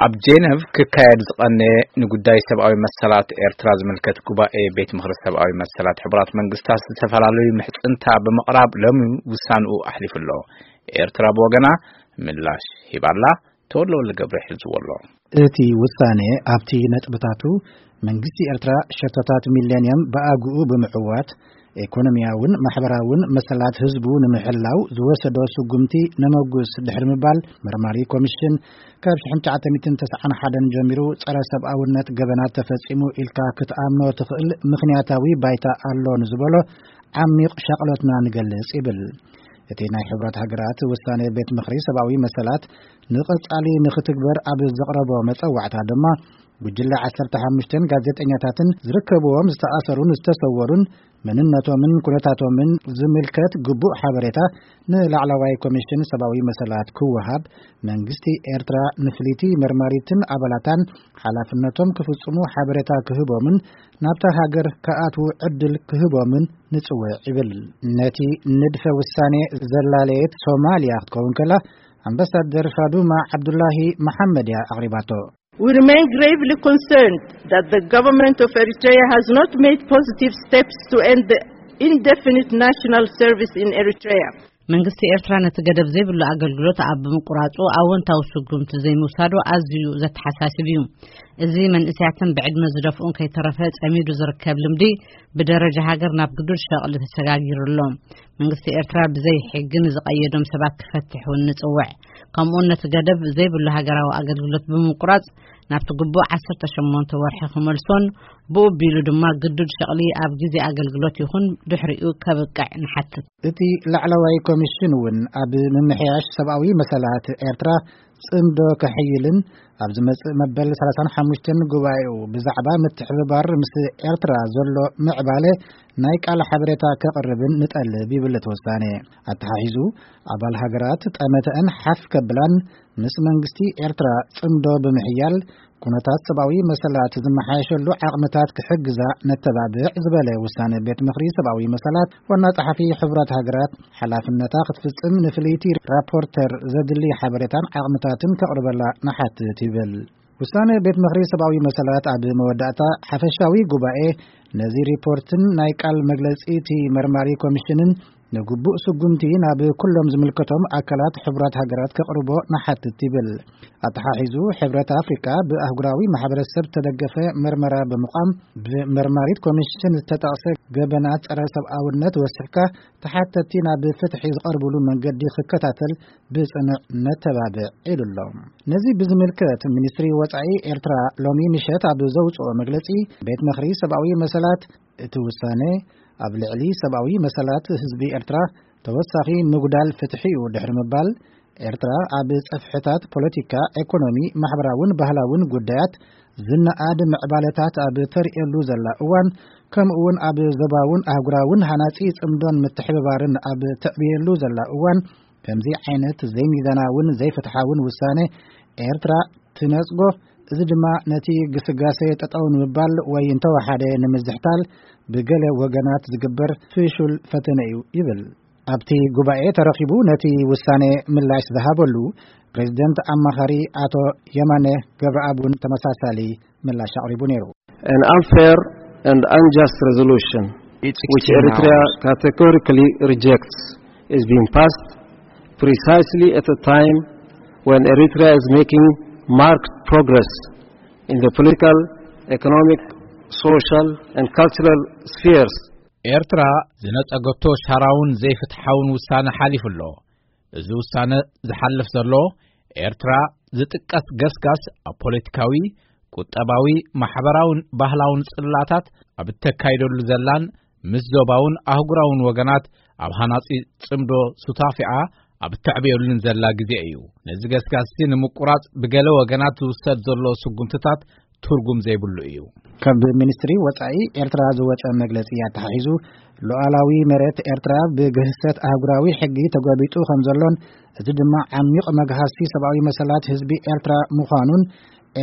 ኣብ ጄነቭ ክካየድ ዝቐነየ ንጉዳይ ሰብኣዊ መሰላት ኤርትራ ዝምልከት ጉባኤ ቤት ምኽሪ ሰብኣዊ መሰላት ሕቡራት መንግስታት ዝተፈላለዩ ምሕጽንታ ብምቕራብ ሎሚ ውሳንኡ ኣሕሊፉ ኣሎ። ኤርትራ ብወገና ምላሽ ሂባላ። ተወልደ ወልደ ገብረ ሒዝዎ ኣሎ። እቲ ውሳኔ ኣብቲ ነጥብታቱ መንግስቲ ኤርትራ ሸቶታት ሚሌንየም ብኣግኡ ብምዕዋት ኤኮኖሚያውን ማሕበራውን መሰላት ህዝቡ ንምሕላው ዝወሰዶ ስጉምቲ ነመጉስ ድሕሪ ምባል፣ መርማሪ ኮሚሽን ካብ ሽሕን ትሽዓተ ሚእትን ተስዓን ሓደን ጀሚሩ ጸረ ሰብኣውነት ገበናት ተፈጺሙ ኢልካ ክትኣምኖ ትኽእል ምኽንያታዊ ባይታ ኣሎ ንዝበሎ ዓሚቕ ሻቕሎትና ንገልጽ ይብል። እቲ ናይ ሕብረት ሃገራት ውሳኔ ቤት ምኽሪ ሰብኣዊ መሰላት ንቐጻሊ ንኽትግበር ኣብ ዘቕረቦ መጸዋዕታ ድማ፣ ጉጅለ ዓሰርተ ሓሙሽተን ጋዜጠኛታትን ዝርከብዎም ዝተኣሰሩን ዝተሰወሩን መንነቶምን ኩነታቶምን ዝምልከት ግቡእ ሓበሬታ ንላዕለዋይ ኮሚሽን ሰብኣዊ መሰላት ክወሃብ፣ መንግስቲ ኤርትራ ንፍልይቲ መርማሪትን ኣባላታን ሓላፍነቶም ክፍጽሙ ሓበሬታ ክህቦምን ናብታ ሃገር ክኣትዉ ዕድል ክህቦምን ንጽውዕ ይብል። ነቲ ንድፈ ውሳኔ ዘላለየት ሶማልያ ክትከውን ከላ፣ ኣምባሳደር ፋዱማ ዓብዱላሂ መሓመድ እያ ኣቕሪባቶ። We remain gravely concerned that the government of Eritrea has not made positive steps to end the indefinite national service in Eritrea. መንግስቲ ኤርትራ ነቲ ገደብ ዘይብሉ ኣገልግሎት ኣብ ምቁራጹ ኣወንታዊ ስጉምቲ ዘይምውሳዱ ኣዝዩ ዘተሓሳስብ እዩ። እዚ መንእሰያትን ብዕድመ ዝደፍኡን ከይተረፈ ጸሚዱ ዝርከብ ልምዲ ብደረጃ ሃገር ናብ ግዱድ ሸቕሊ ተሰጋጊሩ ኣሎ። መንግስቲ ኤርትራ ብዘይ ሕጊ ንዝቐየዶም ሰባት ክፈትሕ እውን ንጽውዕ። ከምኡውን ነቲ ገደብ ዘይብሉ ሃገራዊ ኣገልግሎት ብምቁራጽ ናብቲ ግቡእ ዓሰርተ ሸሞንተ ወርሒ ክመልሶን ብኡ ኣቢሉ ድማ ግዱድ ሸቕሊ ኣብ ግዜ ኣገልግሎት ይኹን ድሕሪኡ ከብቅዕ ንሓትት። እቲ ላዕለዋይ ኮሚሽን እውን ኣብ ምምሕያሽ ሰብኣዊ መሰላት ኤርትራ ጽምዶ ከሕይልን ኣብ ዝመጽእ መበል ሰላሳን ሓሙሽተን ጉባኤኡ ብዛዕባ ምትሕብባር ምስ ኤርትራ ዘሎ ምዕባለ ናይ ቃል ሓበሬታ ከቕርብን ንጠልብ ይብል እቲ ውሳኔ። ኣተሓሒዙ ኣባል ሃገራት ጠመተአን ሓፍ ከብላን ምስ መንግስቲ ኤርትራ ጽምዶ ብምሕያል ኩነታት ሰብኣዊ መሰላት ዝመሓየሸሉ ዓቕምታት ክሕግዛ ነተባብዕ ዝበለ ውሳነ ቤት ምኽሪ ሰብኣዊ መሰላት ዋና ጸሓፊ ሕቡራት ሃገራት ሓላፍነታ ክትፍጽም ንፍልይቲ ራፖርተር ዘድሊ ሓበሬታን ዓቕምታትን ከቕርበላ ንሓትት ይብል። ውሳነ ቤት ምኽሪ ሰብኣዊ መሰላት ኣብ መወዳእታ ሓፈሻዊ ጉባኤ ነዚ ሪፖርትን ናይ ቃል መግለጺ እቲ መርማሪ ኮሚሽንን ንግቡእ ስጉምቲ ናብ ኩሎም ዝምልከቶም ኣካላት ሕቡራት ሃገራት ከቕርቦ ንሓትት ይብል። ኣተሓሒዙ ሕብረት ኣፍሪቃ ብኣህጉራዊ ማሕበረሰብ ተደገፈ መርመራ ብምቋም ብመርማሪት ኮሚሽን ዝተጠቕሰ ገበናት ጸረ ሰብኣውነት ወሲሕካ ተሓተቲ ናብ ፍትሒ ዝቐርብሉ መንገዲ ክከታተል ብጽኑዕ ነተባብዕ ኢሉ ኣሎ። ነዚ ብዝምልከት ሚኒስትሪ ወጻኢ ኤርትራ ሎሚ ምሸት ኣብ ዘውጽኦ መግለጺ ቤት ምኽሪ ሰብኣዊ መሰላት እቲ ውሳነ ኣብ ልዕሊ ሰብኣዊ መሰላት ህዝቢ ኤርትራ ተወሳኺ ምጉዳል ፍትሒ እዩ ድሕሪ ምባል፣ ኤርትራ ኣብ ጸፍሕታት ፖለቲካ፣ ኤኮኖሚ፣ ማሕበራውን ባህላውን ጉዳያት ዝነኣድ ምዕባለታት ኣብ ተርእየሉ ዘላ እዋን፣ ከምኡውን ኣብ ዞባውን ኣህጉራውን ሃናጺ ጽምዶን ምትሕብባርን ኣብ ተዕብየሉ ዘላ እዋን፣ ከምዚ ዓይነት ዘይሚዛናውን ዘይፍትሓውን ውሳነ ኤርትራ ትነጽጎ፣ እዚ ድማ ነቲ ግስጋሴ ጠጠው ንምባል ወይ እንተወሓደ ንምዝሕታል ብገለ ወገናት ዝግበር ፍሹል ፈተነ እዩ ይብል። ኣብቲ ጉባኤ ተረኺቡ ነቲ ውሳኔ ምላሽ ዝሃበሉ ፕሬዚደንት ኣማኻሪ ኣቶ የማነ ገብረኣብ እውን ተመሳሳሊ ምላሽ ኣቕሪቡ ነይሩ። An unfair and unjust resolution, which Eritrea categorically rejects, is being passed precisely at a time when Eritrea is making marked progress in the political, economic, social, and cultural spheres. ኤርትራ ዝነጸገቶ ሻራውን ዘይፍትሓውን ውሳነ ሓሊፉ ኣሎ። እዚ ውሳነ ዝሓልፍ ዘሎ፣ ኤርትራ ዝጥቀስ ገስጋስ ኣብ ፖለቲካዊ፣ ቁጠባዊ፣ ማሕበራውን ባህላውን ጽላታት ኣብ እተካይደሉ ዘላን ምስ ዞባውን ኣህጉራውን ወገናት ኣብ ሃናጺ ጽምዶ ሱታፊኣ ኣብ እተዕብየሉን ዘላ ግዜ እዩ። ነዚ ገስጋስቲ ንምቁራጽ ብገለ ወገናት ዝውሰድ ዘሎ ስጉምትታት ትርጉም ዘይብሉ እዩ። ካብ ሚኒስትሪ ወጻኢ ኤርትራ ዝወጸ መግለጺ ኣተሓሒዙ፣ ሉዓላዊ መሬት ኤርትራ ብግህሰት ኣህጉራዊ ሕጊ ተጎቢጡ ከም ዘሎን፣ እዚ ድማ ዓሚቕ መግሃስቲ ሰብኣዊ መሰላት ህዝቢ ኤርትራ ምዃኑን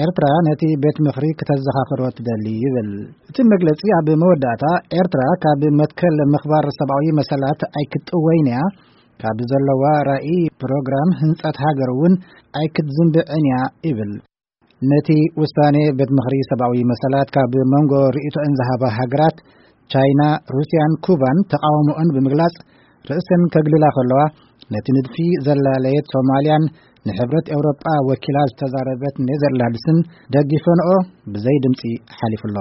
ኤርትራ ነቲ ቤት ምኽሪ ክተዘኻኽሮ ትደሊ ይብል። እቲ መግለጺ ኣብ መወዳእታ፣ ኤርትራ ካብ መትከል ምኽባር ሰብኣዊ መሰላት ኣይክትጥወይን እያ፣ ካብ ዘለዋ ራኢ ፕሮግራም ህንጸት ሃገር እውን ኣይክትዝንብዕን እያ ይብል። ነቲ ውሳኔ ቤት ምኽሪ ሰብኣዊ መሰላት ካብ መንጎ ርእይቶአን ዝሃባ ሃገራት ቻይና፣ ሩስያን ኩባን ተቓውሞአን ብምግላጽ ርእሰን ከግልላ ከለዋ፣ ነቲ ንድፊ ዘላለየት ሶማልያን ንሕብረት ኤውሮጳ ወኪላ ዝተዛረበት ኔዘርላንድስን ደጊፈንኦ ብዘይ ድምጺ ሓሊፉ ኣሎ።